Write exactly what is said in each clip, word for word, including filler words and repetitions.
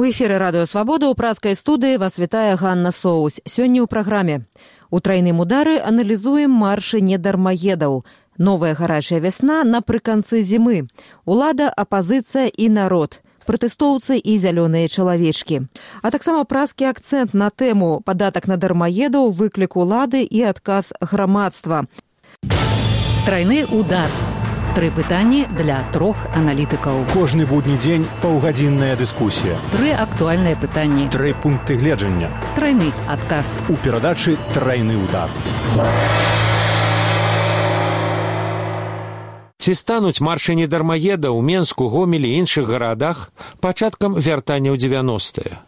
У эфіры Радыё Свабода ў празкай студыі вас вітае Ганна Соусь. Сёння ў праграме. У трайным удары аналізуем маршы недармаедаў. Новая гарачая вясна напрыканцы зімы. Улада, апазіцыя і народ. Пратэстоўцы і зялёныя чалавечкі. А таксама празкі акцэнт на тэму падатак на дармаедаў, выклік улады і адказ грамадства. Трайны удар. Тры пытанні для трох аналітыкаў. Кожны будні дзень паўгадзінная дыскусія. Тры актуальныя пытанні. Тры пункты гледжання. Трайны адказ. У перадачы «Трайны удар». Ці стануць маршы недармаедаў у Менску, Гомелі і іншых гарадах пачаткам вяртання ў дзевяностыя?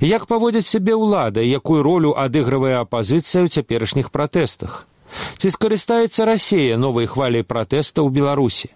Як паводзіць сябе ўлада, якую ролю адыгрывае апазіцыя ў цяперашніх пратэстах? Ці скарыстаецца Расія новай хваляй пратэста ў Беларусі?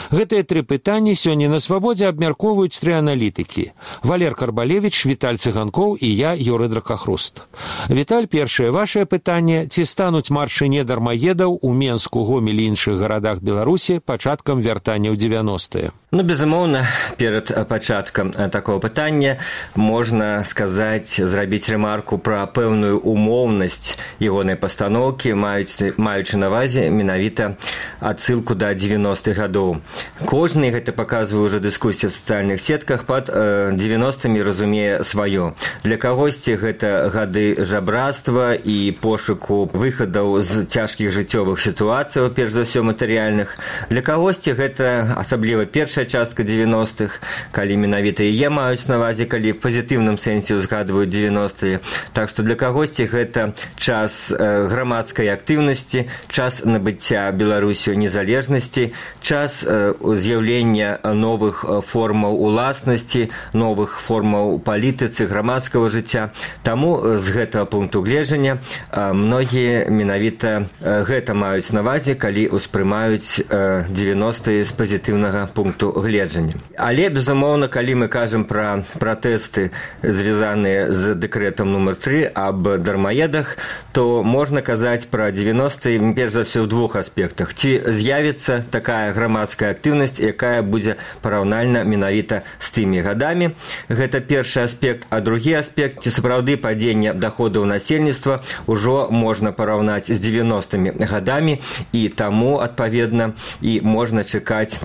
Гэтыя тры пытанні сёння на Свабодзе абмяркоўваюць тры аналітыкі. Валер Карбалевіч, Віталь Цыганкоў і я, Юрый Дракахруст. Віталь, першае вашае пытанне. Ці стануць маршы недармаедаў у Менску, Гомелі і іншых гарадах Беларусі пачаткам вяртання ў дзевяностыя? Ну, безумоўна, перад пачаткам такого пытання можна сказаць, зрабіць рэмарку пра пэўную умоўнасць ягонай пастаноўкі, маючы на ўвазе менавіта адсылку да дзевяностых гадоў. Кожны, гэта паказвае ўжо дыскусія ў сацыяльных сетках, пад дзевяностымі разумее сваё. Для кагосьці гэта гады жабрацтва і пошуку выхадаў з цяжкіх жыццёвых сітуацый, перш за ўсё матэрыяльных. Для кагосьці гэта асабліва першая частка дзевяностых, калі менавіта яе маюць на ўвазе, калі в пазітыўным сэнсе узгадваюць дзевяностыя. Так што для кагосьці гэта час грамадскай актыўнасці, час набыцця Беларусю незалежнасці, час з'яўлення новых формаў уласнасці, новых формаў палітыцы, грамадскага жыцця. Таму з гэтага пункту гледжання многія менавіта гэта маюць на ўвазе, калі ўспрымаюць дзевяностыя з пазітыўнага пункту гледжання. Але, безумоўна, калі мы кажам пра пратэсты, звязаныя з дэкрэтам нумар тры аб дармаедах, то можна казаць пра дзевяностыя, перш за ўсё, ў двух аспектах. Ці з'явіцца такая грамадская актыўнасць, якая будзе параўнальна менавіта з тымі гадамі. Гэта першы аспект. А другі аспект, ці сапраўды падзення даходаў насельніцтва ўжо можна параўнаць з дзевяностымі гадамі, і таму, адпаведна, і можна чакаць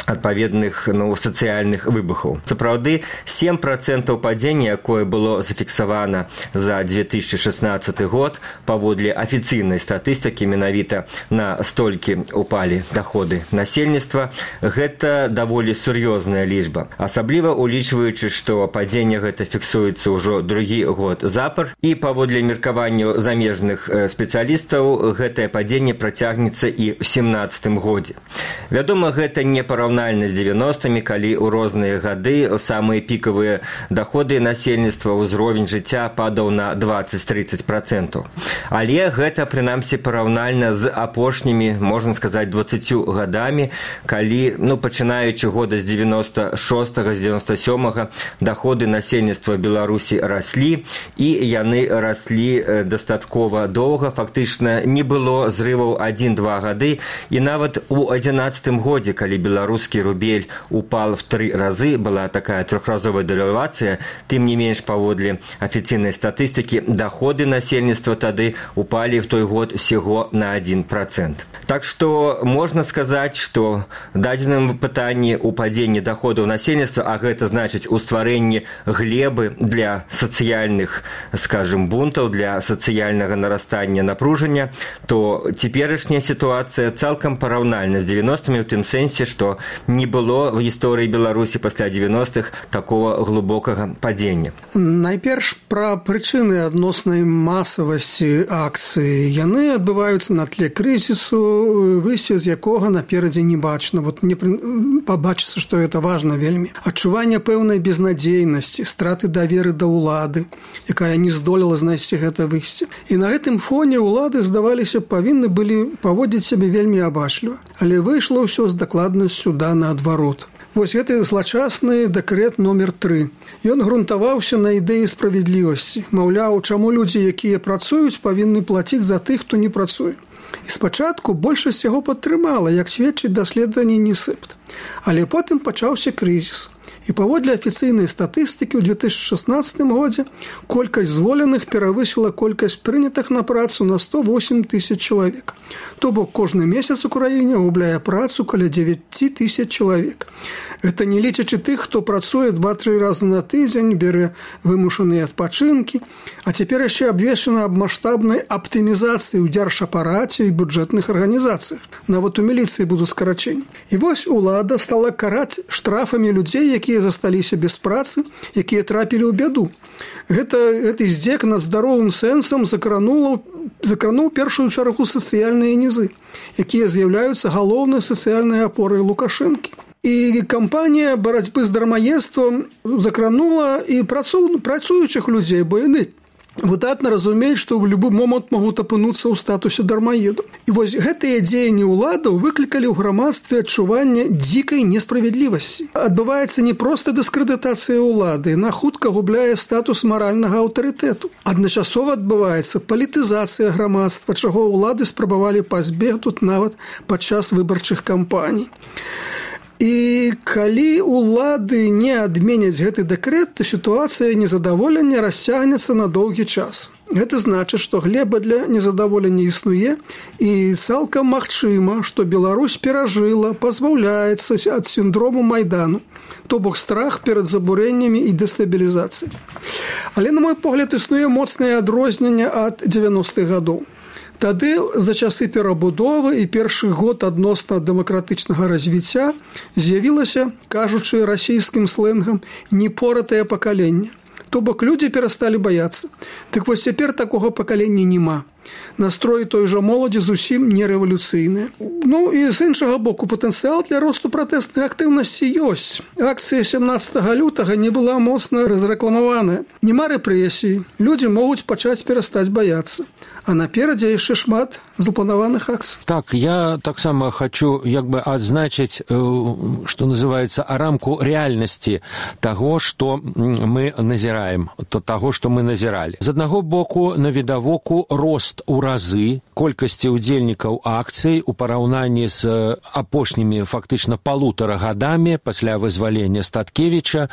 адпаведных ну, сацыяльных выбухаў. Сапраўды, сем працэнтаў падзення, якое было зафіксавана за две тысячи шестнадцаты год, паводле афіцыйнай статыстыкі, менавіта на столькі упалі даходы насельніцтва, гэта даволі сур'ёзная лічба. Асабліва улічваючы, што падзенне гэта фіксуецца ўжо другі год запар, і паводле меркаванняў замежных спецыялістаў гэтае падзенне працягнецца і ў семнаццатым годзе. Вядома, гэта не параўнальна з дзевяностымі, калі ў розныя гады ў самыя пікавыя даходы насельніцтва ўзровень жыцця падаў на дваццаць-трыццаць працэнтаў. Але гэта, прынамсі, параўнальна з апошнімі, можна сказаць, дваццаццю гадамі, калі, ну, пачынаючы года з дзевяноста шостага, з дзевяноста сёмага, даходы насельніцтва Беларусі раслі, і яны раслі дастаткова доўга, фактычна не было зрываў адзін-два гады, і нават у адзінаццатым годзе, калі Беларусь рубель упал в три разы, была такая трехразовая девальвация, тым не менш паводле афіцыйнай статыстыкі доходы насельніцтва тады упали в той год всего на один процент. Так что можна сказаць, што дадзеным пытанні ў падзенні доходаў насельніцтва, а гэта значыць у стварэнні глебы для сацыяльных, скажем, бунтаў, для сацыяльнага нарастання напружання, то цяперашняя сітуацыя цалкам параўнальна з дзевяностымі ў тым сэнсе, што не было в гісторыі Беларусі пасля дзевяностых такого глубокага падзення. Найперш пра прычыны адноснай масавасці акцыі. Яны адбываюцца на тле крызісу, выйсце з якога наперадзе не бачна. Вот мне пабачыцца, што гэта важна вельмі. Адчуванне пэўнай безнадзейнасці, страты даверы да ўлады, якая не здолела знайсці гэта выйсце. І на гэтым фоне ўлады, здаваліся, павінны былі паводзіць сябе вельмі абачліва. Але выйшла ўсё з дакладнасцю да наадварот. Вось гэты злачасны дэкрэт номер тры. Ён грунтаваўся на ідэі справядлівасці. Маўляў, чаму людзі, якія працуюць, павінны плаціць за тых, хто не працуе. І спачатку большасць яго падтрымала, як сведчыць даследаванне Нісепт. Але потым пачаўся крызіс. І паводле афіцыйнай статыстыкі ў две тысячи шестнадцатым годзе колькасць зволеных перавысіла колькасць прынятых на працу на сто восемь тысяч чалавек. То бок кожны месяц у краіне губляе працу каля девять тысяч чалавек. Гэта не лічачы тых, хто працуе два-тры разы на тыдзень, бярэ вымушаныя адпачынкі, а цяпер яшчэ абвешчана аб маштабнай аптымізацыі ў дзяржапараце і бюджэтных арганізацыях. Нават у міліцыі будуць скарачэнні. І вось улада стала караць штрафамі людзей, якія засталіся без працы, якія трапілі ў бяду. Гэта, гэты здзек над здаровым сэнсам закрануў закрануў першую чаргу сацыяльныя нізы, якія з'яўляюцца галоўнай сацыяльнай апорай Лукашэнкі. І кампанія барацьбы з дармаедствам закранула і працу, працуючых людзей, бо яны выдатна разумеюць, што ў любы момант могуць апынуцца ў статусе дармаеду. І вось гэтыя дзеянні ўладаў выклікалі ў грамадстве адчуванне дзікай несправядлівасці. Адбываецца не проста дыскрэдытацыя ўлады, яна хутка губляе статус маральнага аўтарытэту. Адначасова адбываецца палітызацыя грамадства, чаго ўлады спрабавалі пазбегнуць нават падчас выбарчых кампаній. І калі улады не адменяць гэты дэкрэт, то сітуацыя незадаволення расцягнецца на доўгі час. Гэта значыць, што глеба для незадаволення існуе, і цалкам магчыма, што Беларусь перажыла, пазбаўляецца ад сіндрому Майдану, то бок страх перад забурэннямі і дэстабілізацыяй. Але, на мой погляд, існуе моцнае адрозненне ад дзевяностых гадоў. Тады за часы перабудовы і першы год адносна дэмакратычнага развіцця з'явілася, кажучы расійскім сленгам, непоратае пакаленне. То бок людзі перасталі баяцца. Так вось цяпер такога пакалення няма. Настроі той жа моладзі зусім не рэвалюцыйныя. Ну і з іншага боку, патэнцыял для росту пратэснай актыўнасці ёсць. Акцыя сямнаццатага лютага не была моцна разрэкламаваная. Нема рэпрэсій, людзі могуць пачаць перастаць баяцца. А наперадзе яшчэ шмат запланаваных акцый. Так, я таксама хочу як бы адзначыць, што называецца, рамку рэальнасці таго, што мы назіраем, то таго, што мы назіралі. З аднаго боку, навідавоку рост у разы колькасці ўдзельнікаў акцый у параўнанні з апошнімі фактычна палутара гадамі пасля вызвалення Статкевіча.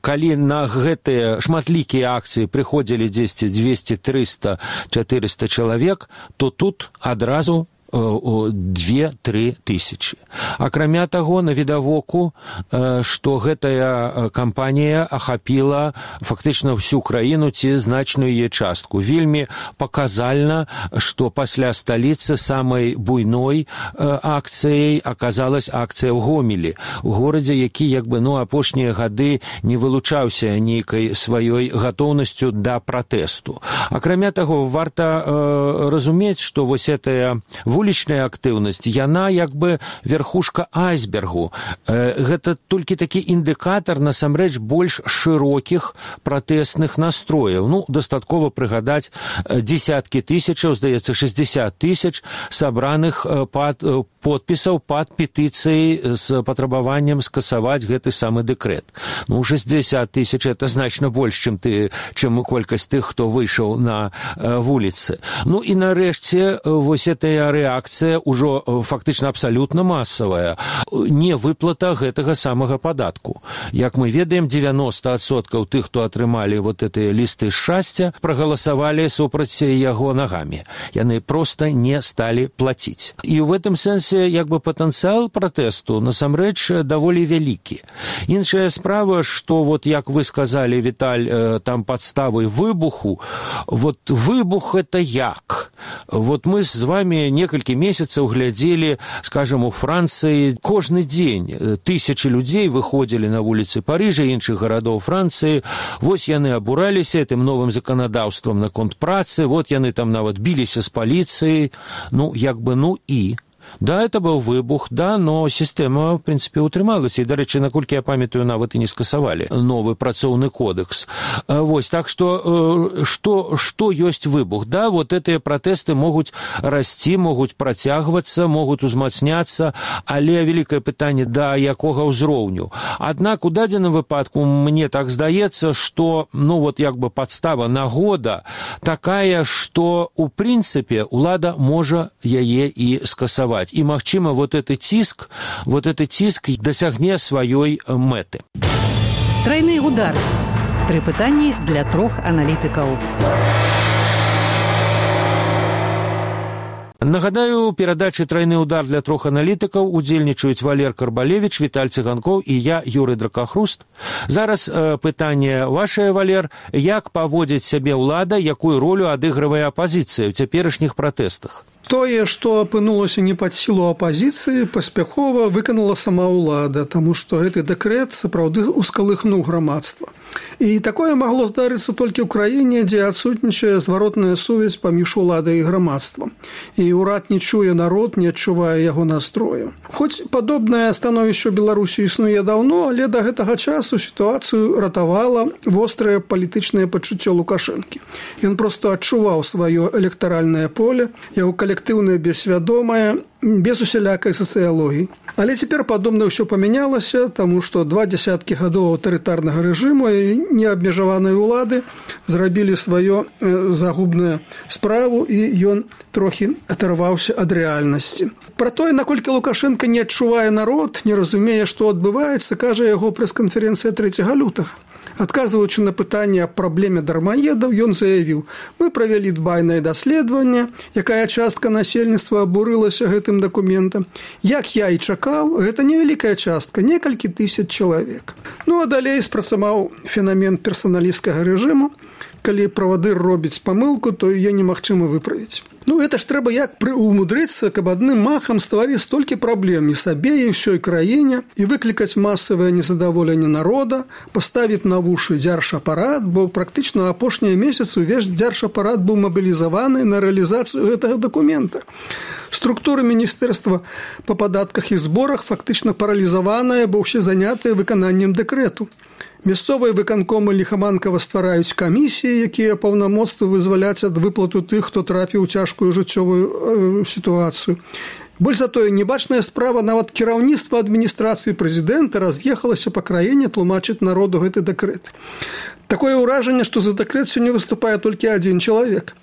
Калі на гэтыя шматлікія акцыі прыходзілі дзесьці дзвесце трыста чатырыста чалавек, то тут адразу две-тры тысячи. Акрамя таго, навідавоку, што гэтая кампанія ахапіла фактычна ўсю краіну ці значную яе частку. Вельмі паказальна, што пасля сталіцы самай буйной акцыяй аказалась акцыя ў Гомелі, у горадзе, які як бы ну апошнія гады не вылучаўся нейкай сваёй гатоўнасцю да пратэсту. Акрамя таго, варта э, разумець, што вось гэтая вулічная актыўнасць, яна як бы верхушка айсбергу. Гэта толькі такі індыкатар, насамрэч, больш шырокіх пратэсных настрояў. Ну, дастаткова прыгадаць дзесяткі тысячаў, здаецца, шэсцьдзесят тысяч сабраных пад, подпісаў пад петыцыяй з патрабаваннем скасаваць гэты самы дэкрэт. Ну, шэсцьдзесят тысяч – это значна больш, чым, ты, чым колькасць тых, хто выйшаў на вуліцы. Ну, і нарэшце, вось гэтая рэакцыя ўжо фактычна абсалютна масавая, не выплата гэтага самага падатку. Як мы ведаем, дзевяносто адсоткаў тых, хто атрымалі вот гэтыя лісты шчасця, прагаласавалі супраць яго нагамі. Яны проста не сталі плаціць. І ў гэтым сэнсе як бы патэнцыял пратэсту насамрэч даволі вялікі. Іншая справа, што вот як вы сказалі, Віталь, там падставай выбуху, вот выбух это як? Вот мы з вами некалькі месяцаў глядзелі, скажем, у Францыі кожны дзень тысячы людзей выходзілі на вуліцы Парыжа і іншых гарадоў Францыі. Вось яны абураліся гэтым новым заканадаўствам наконт працы, вот яны там нават біліся з паліцыяй. Ну, як бы, ну і... Да, это быў выбух, да, но сістэма, в прынцыпе, утрымалася. І, дарэчы, наколькі я памятаю, нават і не скасавалі новы працоўны кодекс. Вось, так што, што, што ёсць выбух? Да, вот гэтыя пратэсты могуць расці, могуць працягвацца, могуць узмацняцца, але вялікае пытанне, да якога ўзроўню. Аднак, у дадзеным выпадку, мне так здаецца, што, ну, вот, як бы падстава, нагода такая, што, у прынцыпе, улада можа яе і скасаваць. І, магчыма, вот этот ціск, вот этот ціск дасягне сваёй мэты. Трайны удар. Тры пытанні для трох аналітыкаў. Нагадаю, у перадачы «Трайны удар» для трох аналітыкаў удзельнічаюць Валер Карбалевіч, Віталь Цыганкоў і я, Юрый Дракахруст. Зараз э, пытанне вашае, Валер. Як паводзіць сябе ўлада, якую ролю адыгрывае апазіцыя ў цяперашніх пратэстах? Тое, што апынулася не пад сілу апазіцыі, паспяхова выканала сама ўлада, таму што гэты дэкрэт сапраўды ускалыхнуў грамадства. І такое магло здарыцца толькі ў краіне, дзе адсутнічае зваротная сувязь паміж уладай і грамадствам. І ўрад не чуе народ, не адчувае яго настрою. Хоць падобнае становішча ў Беларусі існуе даўно, але да гэтага часу сітуацыю ратавала вострае палітычнае пачуццё Лукашэнкі. Ён проста адчуваў сваё электаральнае поле, яго калектыўнае бессвядомае, без усялякай сацыялогіі. Але цяпер падобна ўсё памянялася, таму што два дзясяткі гадоў аўтарытарнага рэжыму і неабмежаванай улады зрабілі сваё загубную справу, і ён трохі адарваўся ад рэальнасці. Пра тое, наколькі Лукашенко не адчувае народ, не разумее, што адбываецца, кажа яго прэс-канферэнцыя трэцяга лютага. Адказваючы на пытанне аб праблеме дармаедаў, ён заявіў: «Мы правялі дбайнае даследаванне, якая частка насельніцтва абурылася гэтым дакументам. Як я і чакаў, гэта невялікая частка, некалькі тысяч чалавек». Ну, а далей спрацаваў фенамен персаналісцкага рэжыму. Калі правадыр робіць памылку, то яе немагчыма выправіць. Ну, это ж трэба як умудрыцца, каб адным махам стварыць столькі праблем і сабе, і ўсёй краіне, і выклікаць масавае незадаволенне народа, паставіць на вушы дзяржапарат, бо практычна апошнія месяцы ўвесь дзяржапарат быў мабілізаваны на рэалізацыю гэтага дакумента. Структура міністэрства па падатках і зборах фактычна паралізаваная, бо ўсе занятыя выкананнем дэкрэту. Мясцовыя выканкомы ліхаманкава ствараюць камісіі, якія паўнамоцтва вызваляць ад выплату тых, хто трапіў у цяжкую жыццёвую э, сітуацыю. Больш за тое, небачная справа, нават кіраўніцтва адміністрацыі прэзідэнта раз'ехалася па краіне тлумачыць народу гэты дэкрэт. Такое ўражанне, што за дэкрэт сёння выступае толькі адзін чалавек.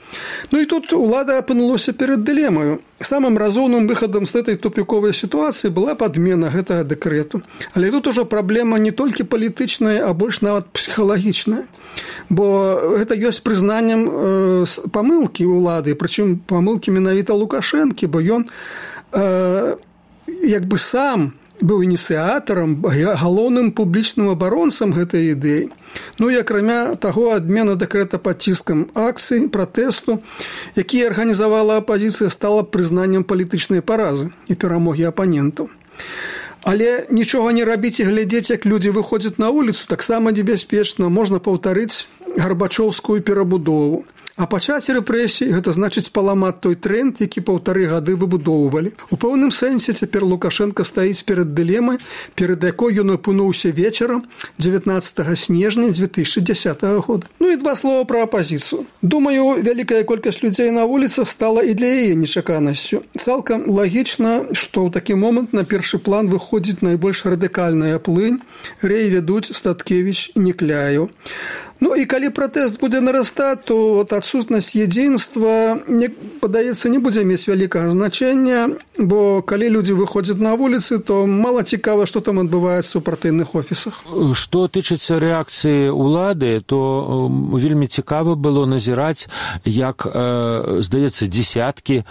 Ну і тут улада апынулася перад дылемаю. Самым разумным выхадам з гэтай тупіковай сітуацыі была падмена гэтага дэкрэту. Але тут ужо праблема не толькі палітычная, а больш нават псіхалагічная. Бо гэта ёсць прызнаннем э, памылкі ўлады, прычым памылкі менавіта Лукашэнкі, бо ён э, як бы сам быў ініцыятарам, галоўным публічным абаронцам гэтай ідэі. Ну і акрамя таго, адмена дэкрэта пад ціскам акцый, пратэсту, які арганізавала апазіцыя, стала прызнаннем палітычнай паразы і перамогі апанентаў. Але нічога не рабіць і глядзець, як людзі выходзяць на вуліцу, таксама небяспечна. Можна паўтарыць гарбачоўскую перабудову. А пачаць рэпрэсіі – гэта значыць паламаць той тренд, які паўтары гады выбудоўвалі. У пэўным сэнсе цяпер Лукашенко стаіць перад дылемай, перад якой ён апынуўся вечарам дзевятнаццатага снежня дзве тысячы дзясятага года. Ну і два слова пра апазіцыю. Думаю, вялікая колькасць людзей на вуліцах стала і для яе нечаканасцю. Цалкам лагічна, што ў такі момант на першы план выходзіць найбольш радыкальная плынь, рэй вядуць Статкевіч і Некляеў. Ну і калі пратэст будзе нарастаць, то от адсутнасць едзінства, мне падаецца, не будзе мець вялікага значэння, бо калі людзі выходзяць на вуліцы, то мала цікава, што там адбываецца ў партыйных офісах. Што тычыцца рэакцыі ўлады, то вельмі цікава было назіраць, як, здаецца, дзесяткі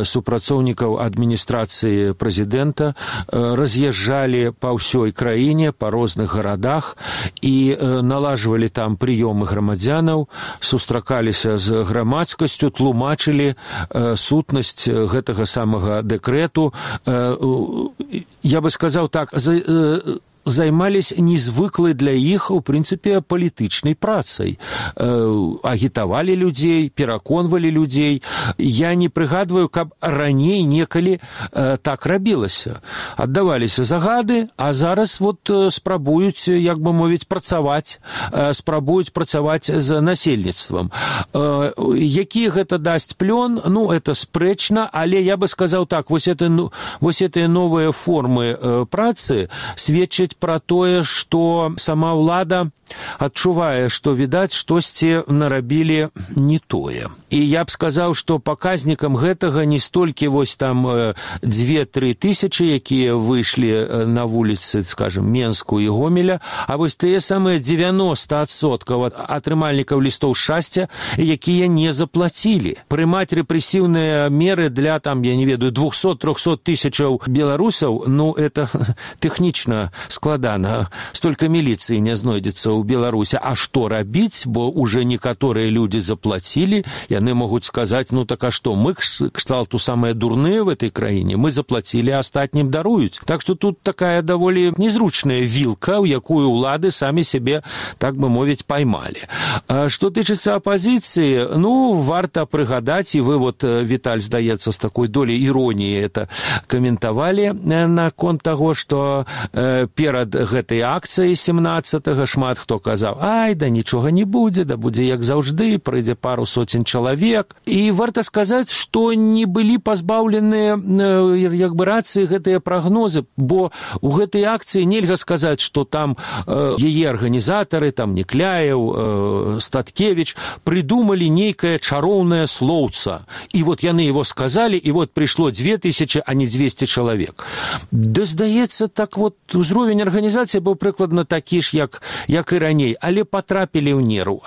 супрацоўнікаў адміністрацыі прэзідэнта раз'язджалі па ўсёй краіне, па розных гарадах і налажвалі там прыёмы грамадзянаў, сустракаліся з грамадскасцю, тлумачылі э, сутнасць гэтага самага дэкрэту. Э, я бы сказаў так, за, э, займались незвыклай для іх, у прынцыпе, палітычнай працай. Э, агітавалі людзей, пераконвалі людзей. Я не прыгадваю, каб раней некалі э, так рабілася. Аддаваліся загады, а зараз вот э, спрабуюць, як бы мовіць, працаваць, э, спрабуюць працаваць з насельніцтвам. Э, які гэта дасць плён? Ну, это спрэчна, але я бы сказаў так, вось, это, вось гэтыя новыя формы э, працы сведчаць гаворыць пра тое, што сама ўлада адчувае, што, відаць, штосьці нарабілі не тое. І я б сказаў, што паказнікам гэтага не столькі вось там дзве-тры тысячы, якія выйшлі на вуліцы, скажем, Менску і Гомеля, а вось тыя самыя дзевяноста адсоткаў атрымальнікаў лістоў шчасця, якія не заплацілі. Прымаць рэпрэсіўныя меры для, там, я не ведаю, двухсот-трохсот тысячаў беларусаў, ну, это тэхнічна складана. Столькі міліцыі не знойдзецца ў Беларусі. А што рабіць, бо уже некаторыя людзі заплацілі, яны могуць сказаць, ну так а што, мы кшталту самыя дурныя в этой краіне, мы заплацілі, а астатнім даруюць. Так што тут такая даволі незручная вілка, у якую ўлады самі сябе, так бы мовіць, паймалі. А што тычыцца апазіцыі, ну, варта прыгадаць, і вы вот, Віталь, здаецца, з такой долей іроніі это каментавалі наконт таго, што э, перад гэтай акцыяй семнаццатага шмат хто казаў, ай, да нічога не будзе, да будзе як заўжды, прыйдзе пару соцень чалавек. І варта сказаць, што не былі пазбаўленыя як бы рацыі гэтыя прагнозы, бо у гэтай акцыі нельга сказаць, што там э, яе арганізатары, там Некляеў, э, Статкевіч прыдумалі нейкае чароўнае слоўца. І вот яны его сказалі, і вот прыйшло две тысячи, а не двести чалавек. Да, здаецца, так вот узровень арганізацыі быў прыкладна такі ж, як, як і раней, але патрапілі ў неру.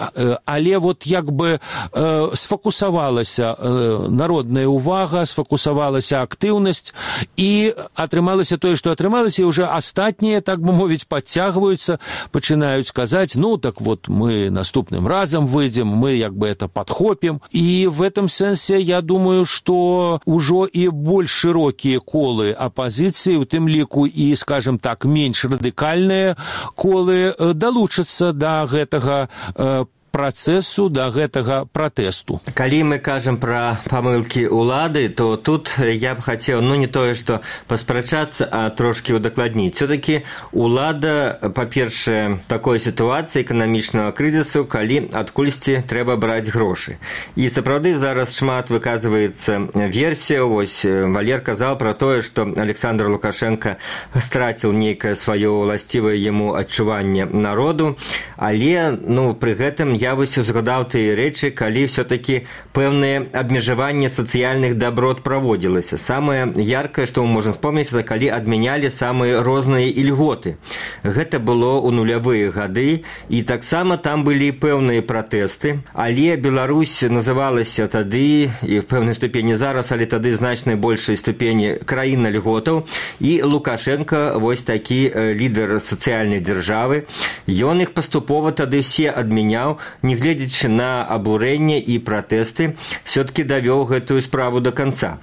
Але вот як бы э, сфокусавалася э, народная увага, сфокусавалася актыўнасць, і атрымалася тое, што атрымалася, і ўжо астатнія, так бы мовіць, подцягваюцца, пачынаюць казаць, ну, так вот мы наступным разам выйдзем, мы як бы это подхопім. І в этом сэнсе я думаю, што ўжо і больш шырокія колы апазіцыі, у тым ліку і, скажем так, менш радыкальныя колы далучацца да гэтага э, працэсу, да гэтага пратэсту. Калі мы кажам пра памылкі ўлады, то тут я б хацеў, ну, не тое, што паспрачацца, а трошкі удакладніць. Все-таки ўлада, па-першае, такой сітуацыі эканамічнага крызісу, калі адкульсьці трэба браць грошы. І сапраўды зараз шмат выказваецца версія. Вось Валер казаў пра тое, што Александр Лукашенко страціў нейкае сваё ўласцівае яму адчуванне народу, але, ну, пры гэтым я вось узгадаў тыя рэчы, калі все-таки пэўнае абмежаванне сацыяльных доброт праводзілася. Самае яркае, што мы можам вспомніць, это калі адмянялі самыя розныя ільготы. Гэта было ў нулявыя гады, і таксама там былі пэўныя пратэсты, але Беларусь называлася тады, і в пэўнай ступені зараз, але тады значнай большай ступені краіна льготаў, і Лукашенко, вось такі лідар сацыяльнай дзяржавы, ён іх паступова тады все адмяняў, негледзячы на абурэнне і пратэсты, все-таки давёў гэтую справу до конца.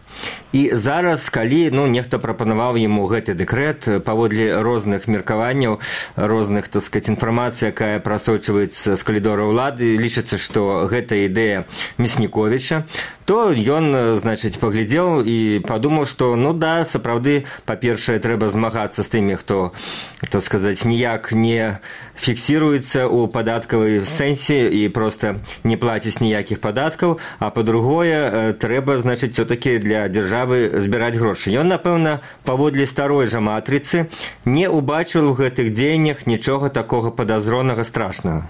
І зараз, калі, ну, нехта прапанаваў яму гэты дэкрэт, паводле розных меркаванняў, розных, так сказать, інфармацыі, якая прасочваецца з калідора ўлады, лічыцца, што гэта ідэя Мясніковіча, то ён, значыць, паглядзеў і падумаў, што, ну да, сапраўды, па-першае, трэба змагацца з тымі, хто, так сказаць, ніяк не фіксіруецца ў падаткавай сэнсе і проста не плаціць ніякіх падаткаў, а па-другое, трэба, значыць, все-таки для дзяржавы збіраць грошы. Ён, напэўна, паводле старой жа матрыцы не ўбачыў у гэтых дзеяннях нічога такога падазронага страшнага.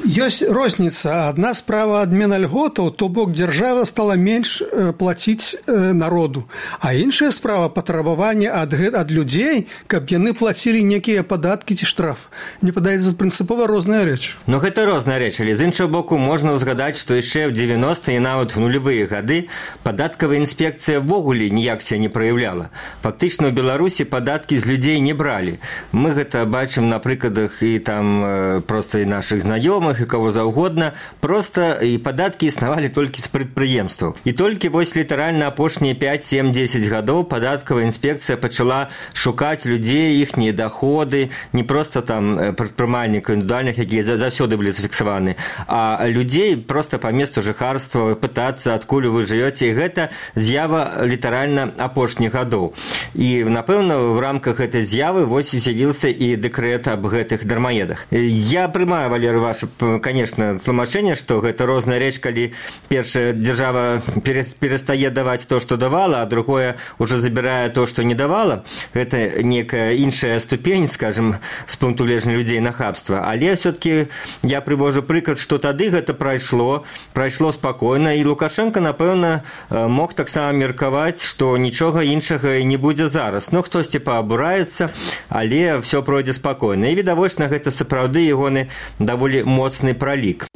Ёсць розніца. Адна справа адмена льготаў, то бок дзяржава стала менш плаціць народу. А іншая справа патрабаванне ад, ад людзей, каб яны плацілі некія падаткі ці штраф. Мне падаецца, прынцыпова розная рэч. Ну, гэта розная рэч, але з іншага боку можна ўзгадаць, што яшчэ ў дзевяностыя і нават в нулявыя гады падаткавая інспекцыя ввогуле ніяк себя не праяўляла. Фактычна ў Беларусі падаткі з людзей не бралі. Мы гэта бачым на прыкладах і там проста і нашых знаёмых, знаёмых і кого заўгодна, проста і падаткі існавалі толькі з прадпрыемстваў. І толькі вось літаральна апошнія пяць сем дзесяць гадоў падаткавая інспекцыя пачала шукаць людзей, іхнія даходы, не проста там прадпрымальнікаў індывідуальных, якія заўсёды былі зафіксаваны, а людзей проста па месту жыхарства пытацца, адкуль вы жывёце, і гэта з'ява літаральна апошніх гадоў. І, напэўна, в рамках гэтай з'явы вось і з'явіўся і дэкрэт аб гэтых дармаедах. Я прымаю, Валерый ваше, конечно, тлумачэнне, што гэта розная рэч, калі першая дзяржава перастае даваць то, што давала, а другое уже забірае то, што не давала. Гэта некая іншая ступень, скажем, з пункту гледжання людзей нахабства. Але все-таки я прывожу прыклад, што тады гэта прайшло, прайшло спакойна, і Лукашенко, напэўна, мог таксама меркаваць, што нічога іншага не будзе зараз. Ну, хтосьці паабураецца, але все пройдзе спакойна. І відавочна, гэта сапраўды ягоны даволі моцны пралік.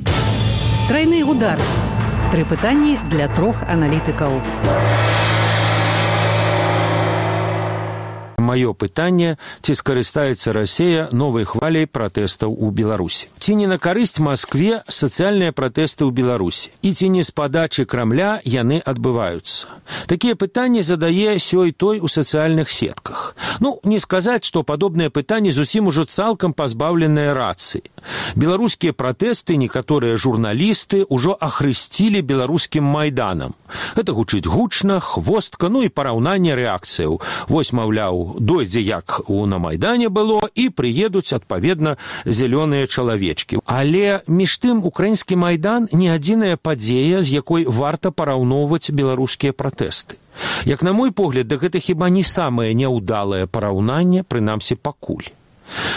Трайны удар. Тры пытанні для трох аналітыкаў. Маё пытанне, ці скарыстаецца Расія новай хваляй пратэстаў у Беларусі? Ці не на карысць Маскве сацыяльныя пратэсты ў Беларусі? І ці не з падачы Крамля яны адбываюцца? Такія пытанні задае сёй той у сацыяльных сетках. Ну, не сказаць, што падобныя пытанні зусім ужо цалкам пазбаўленыя рацыі. Беларускія пратэсты некаторыя журналісты ўжо ахрысцілі беларускім майданам. Гэта гучыць гучна, хвостка, ну і параўнанне рэакцыяў. Вось, маўляў, дойдзе як у на Майдане было, і прыедуць, адпаведна, зялёныя чалавечкі. Але між тым украінскі Майдан не адзіная падзея, з якой варта параўноўваць беларускія пратэсты. Як на мой погляд, да гэта хіба не самае няўдалае параўнанне, прынамсі пакуль.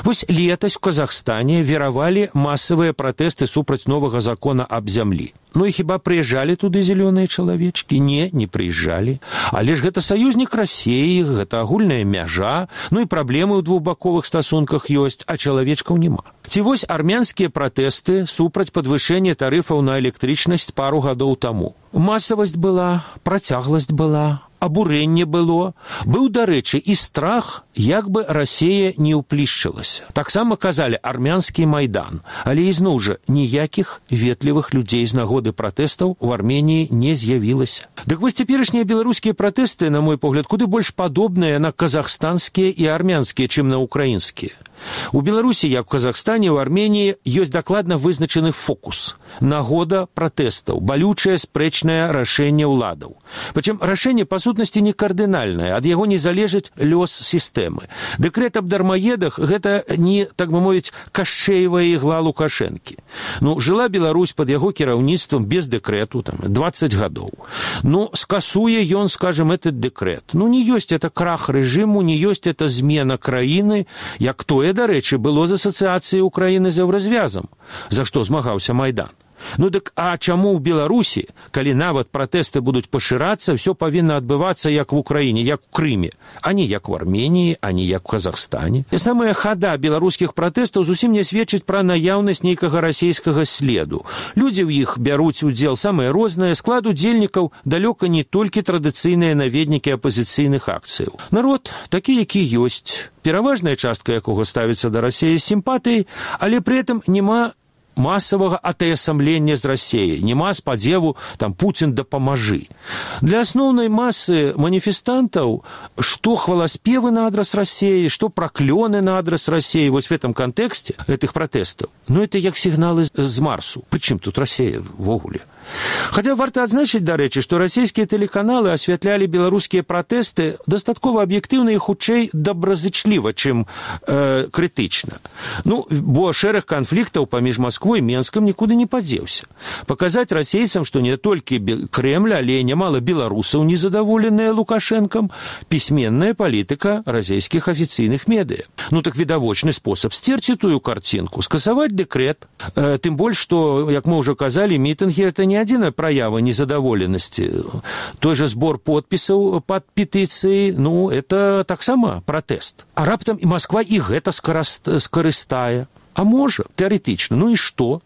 Вось летась у Казахстане веравалі масавыя пратэсты супраць новага закона аб зямлі. Ну і хіба прыязджалі туды зялёныя чалавечкі? Не, не прыязджалі. Але ж гэта саюзнік Расіі, гэта агульная мяжа, ну і праблемы ў двухбаковых стасунках ёсць, а чалавечкаў няма. Ці вось армянскія пратэсты супраць падвышэння тарыфаў на электрычнасць пару гадоў таму. Масавасць была, працягласць была, абурэнне было. Быў, дарэчы, і страх, як бы Расія не ўплішчылася. Таксама казалі армянскі Майдан, але ізноў жа ніякіх ветлівых людзей з нагоды пратэстаў у Арменіі не з'явілася. Дык вось цяперашнія беларускія пратэсты, на мой погляд, куды больш падобныя на казахстанскія і армянскія, чым на украінскія. У Беларусі, як у Казахстане, у Арменіі ёсць дакладна вызначаны фокус. Нагода пратэстаў, балючае спрэчнае рашэнне ўладаў. Прычым рашэнне, па сутнасці, не кардынальнае, ад яго не залежыць лёс сістэмы. Дэкрэт аб дармаедах – гэта не, так бы мовіць, кашчэевая ігла Лукашэнкі. Ну, жыла Беларусь пад яго кіраўніцтвам без дэкрэту, там, дваццаць гадоў. Ну, скасуе ён, скажем, этот дэкрэт. Ну, не ёсць это крах рэжыму, не ёсць это змена краіны, як тое, дарэчы, было з асацыяцыяй Украіны з еўразвязам, за што змагаўся Майдан. Ну дык, а чаму ў Беларусі, калі нават пратэсты будуць пашырацца, ўсё павінна адбывацца як в Украіне, як у Крыме, а не як у Арменіі, а не як у Казахстане? І самая хада беларускіх пратэстаў зусім не сведчыць пра наяўнасць нейкага расійскага следу. Людзі ў іх бяруць удзел самыя розныя, склад удзельнікаў далёка не толькі традыцыйныя наведнікі апазіцыйных акцыяў. Народ такі, які ёсць, пераважная частка якога ставіцца да Расіі з сімпатыяй, але пры этом няма масавага атаясамлення з Расіяй, няма спадзеву, там, Пуцін дапамажы. Для асноўнай масы маніфестантаў, што хваласпевы на адрас Расіі, што праклёны на адрас Расіі, вось в этом кантэксце гэтых пратэстаў, ну, это як сігналы з Марсу. Прычым тут Расія ввогуле? Хаця варта адзначыць, дарэчы, што расійскія тэлеканалы асвятлялі беларускія пратэсты дастаткова аб'ектыўна і хутчэй добразычліва, чым э, крытычна. Ну, бо шэраг канфліктаў паміж Масквой і Менскам нікуды не падзеўся. Паказаць расейцам, што не толькі Крэмль, але і нямала беларусаў незадаволеныя Лукашэнкам, пісьменная палітыка расійскіх афіцыйных медыя. Ну, так відавочны спосаб сцерці тую карцінку, скасаваць дэкрэт, э, тым больш, што, як мы ўжо казалі, мітынгі – это не адзіная праява незадаволенасці. Той же збор подпісаў пад петыцыяй, ну, это таксама пратэст. А раптам і Масква і гэта скарыстае. А можа, тэарэтычна. Ну і што?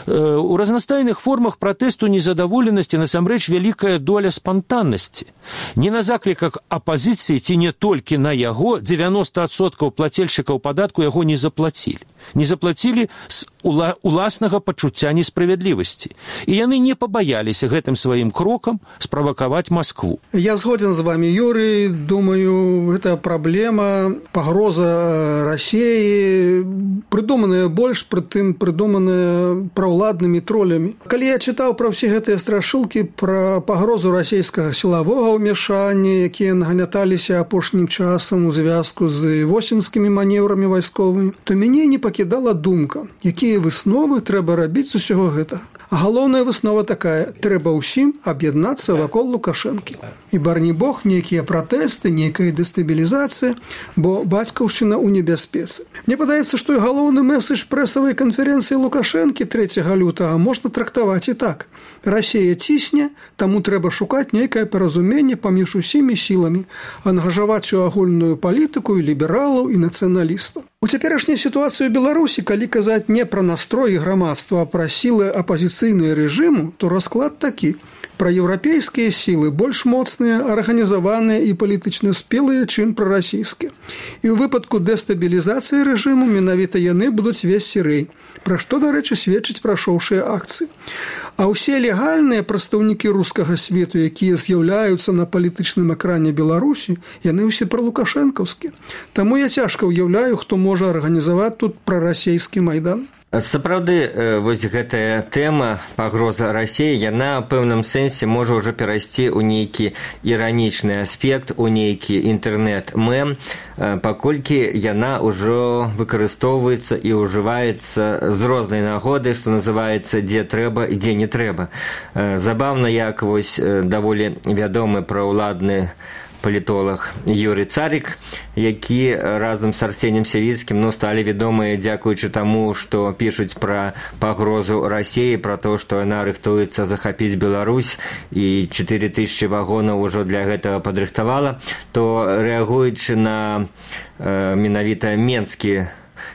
У разнастайных формах пратэсту незадаволенасці насамрэч вялікая доля спантаннасці. Не на закліках апазіцыі ці не толькі на яго дзевяноста адсоткаў плацельшчыкаў падатку яго не заплацілі. Не заплацілі з уласнага пачуцця несправядлівасці. І яны не пабаяліся гэтым сваім крокам справакаваць Маскву. Я згоден з вами, Юрий. Думаю, гэта праблема, пагроза Расіі прыдуманая больш, прытым прыдуманая праўладнымі тролямі. Калі я чытаў пра ўсе гэтыя страшылкі пра пагрозу расійскага сілавога ўмяшання, якія нагняталіся апошнім часам у звязку з восеньскімі манеўрамі вайсковымі, то мяне не пакідала думка, якія высновы трэба рабіць з усяго гэтага. А галоўная выснова такая: трэба ўсім аб'яднацца вакол Лукашэнкі. І барні бог, нейкія пратэсты, нейкая дэстабілізацыя, бо бацькаўшчына ў небяспецы. Мне падаецца, што і галоўны месседж прэсавай канферэнцыі Лукашэнкі трэцяга лютага можна трактаваць і так: Расія цісне, таму трэба шукаць нейкае паразуменне паміж усімі сіламі, ангажаваць у агульную палітыку і лібералаў, і нацыяналістаў. У цяперашняй сітуацыі ў Беларусі, калі казаць не пра настрой грамадства, а пра сілы апазіцыйныя рэжыму, то расклад такі: праеўрапейскія сілы больш моцныя, арганізаваныя і палітычна спелыя, чым прарасійскія. І ў выпадку дэстабілізацыі рэжыму менавіта яны будуць весці рэй, пра што, дарэчы, сведчыць прашоўшыя акцыі. А ўсе легальныя прадстаўнікі рускага свету, якія з'яўляюцца на палітычным экране Беларусі, яны ўсе пралукашэнкаўскія. Таму я цяжка ўяўляю, хто можа арганізаваць тут прарасійскі майдан. Сапраўды, вось гэтая тэма пагроза Расіі, яна ў пэўным сэнсе можа ўжо перайсці ў нейкі іранічны аспект, у нейкі інтэрнэт-мем, паколькі яна ўжо выкарыстоўваецца і ўжываецца з рознай нагоды, што называецца «дзе трэба» і «дзе не трэба». Забаўна, як вось даволі вядомы праўладны палітолог Юрый Царик, які разам з Арсенем Сявіцкім ну, сталі вядомыя дзякуючы таму, што пішуць пра пагрозу Расіі, пра то, што яна рыхтуецца захапіць Беларусь і чатыры тысячы вагонаў ужо для гэтага падрыхтавала, то рэагуючы на э, менавіта менскі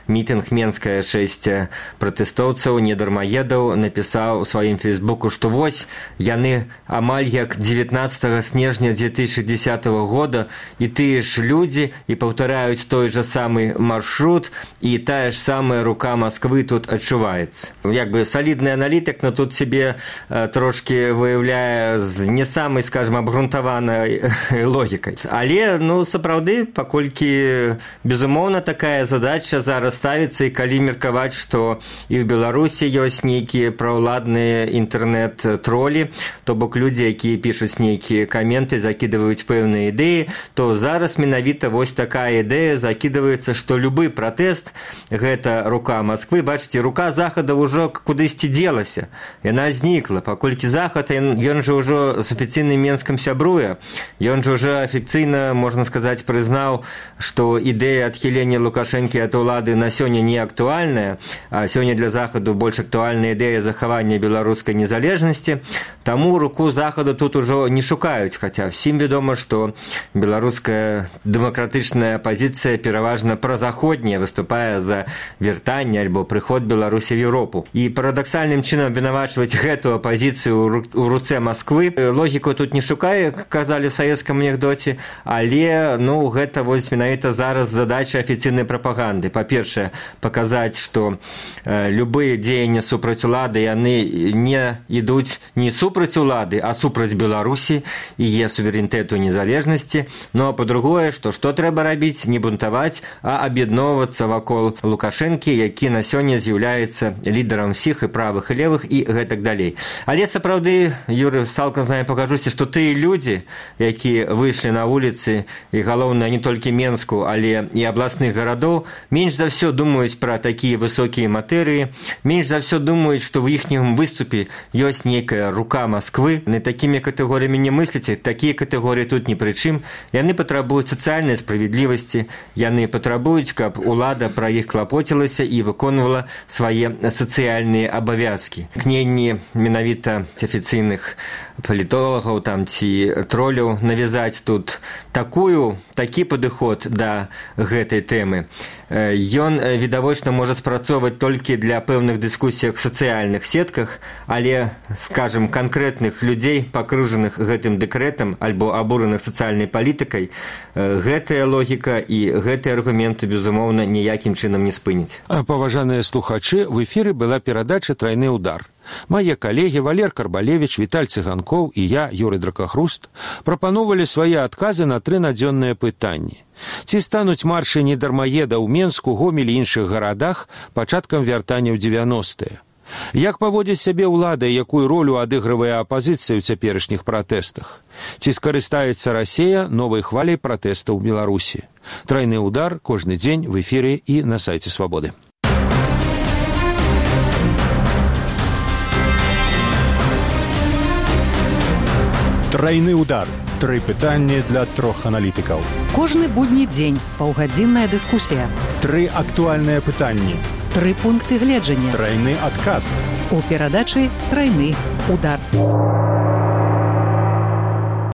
мітынг Менская шэсць пратэстоўцаў, недармаедаў, напісаў у сваім фейсбуку, што вось яны амаль як дзевятнаццатага снежня дзве тысячы дзесятага года, і тыя ж людзі, і паўтараюць той жа самы маршрут, і тая ж самая рука Масквы тут адчуваецца. Як бы салідны аналітык, но тут себе э, трошки выяўляе з не самай, скажем, абгрунтаванай логікай. Але, ну, сапраўды, паколькі, безумоўна, такая задача зараз ставіцца, і калі меркаваць, што і ў Беларусі ёсць нейкія праўладныя інтэрнэт-тролі, то бок людзі, якія пішуць нейкія каменты, закідваюць пэўныя ідэі, то зараз менавіта вось такая ідэя закідваецца, што любы пратэст – гэта рука Масквы. Бачыце, рука Захада ўжо кудысьці дзелася. Яна знікла, паколькі Захад, ён, ён жа ўжо з афіцыйным Менскам сябруе. Ён жа ўжо афіцыйна, можна сказаць, прызнаў, што ідэя адхілення Лукашэнкі ад улады на сёння не актуальная, а сёння для Захаду больш актуальная ідэя захавання беларускай незалежнасці. Таму руку Захаду тут ужо не шукаюць, хаця всім вядома, што беларуская дэмакратычная апазіцыя пераважна празаходняя, выступае за вяртанне альбо прыход Беларусі в Еўропу. І парадаксальным чынам абвінавачваць гэту апазіцыю у руцэ Масквы. Логіку тут не шукае, казалі ў савецкам анекдоце, але ну, гэта вось менавіта зараз задача афіцыйнай прапаганды. Па-першае, паказаць, што э, любыя дзеянні супраць улады, яны не ідуць не супраць улады, а супраць Беларусі і е суверэнітэту незалежнасці. Ну а па-другое, што што трэба рабіць? Не бунтаваць, а аб'ядноўвацца вакол Лукашэнкі, які на сёння з'яўляецца лідарам всіх і правых і левых і гэтак далей. Але сапраўды, Юрый, цалкам з намі пакажуся, што тыя людзі, якія выйшлі на вуліцы, і галоўнае не толькі Менску, але і абласных гарадоў, менш за ўсё думаюць пра такія высокія матэрыі, менш за ўсё думаюць, што ў іхнім выступе ёсць нейкая рука Масквы. Не такімі катэгорыямі не мысліце, такія катэгорыі тут ні пры чым. Яны патрабуюць сацыяльнай справядлівасці, яны патрабуюць, каб улада пра іх клапоцілася і выконвала свае сацыяльныя абавязкі. Кненні менавіта афіцыйных палітолагаў там ці троляў навязаць тут такую, такі падыход да гэтай тэмы. Ён відавочна можа спрацоўваць толькі для пэўных дыскусіях в сацыяльных сетках, але, скажем, канкрэтных людзей, пакрыжаных гэтым дэкрэтам альбо абураных сацыяльнай палітыкай, гэтая логіка і гэтыя аргументы, безумоўна, ніякім чынам не спыніць. Паважаныя слухачы, в эфіры была перадача «Трайны удар». Мае калегі Валер Карбалевіч, Віталь Цыганкоў і я, Юрый Дракахруст, прапановалі свае адказы на тры надзённыя пытанні. Ці стануць маршы недармаеда ў Менску, Гомелі і іншых гарадах пачаткам вяртання ў дзевяностыя? Як паводзіць сябе ўлада, якую ролю адыгрывае апазіцыя ў цяперашніх пратэстах? Ці скарыстаецца Расія новай хваляй пратэстаў у Беларусі? Трайны удар кожны дзень в эфіры і на сайце Свабоды. Трайны удар. Тры пытанні для трох аналітыкаў. Кожны будні дзень паўгадзінная дыскусія. Тры актуальныя пытанні. Тры пункты гледжання. Трайны адказ. У перадачы «Трайны удар».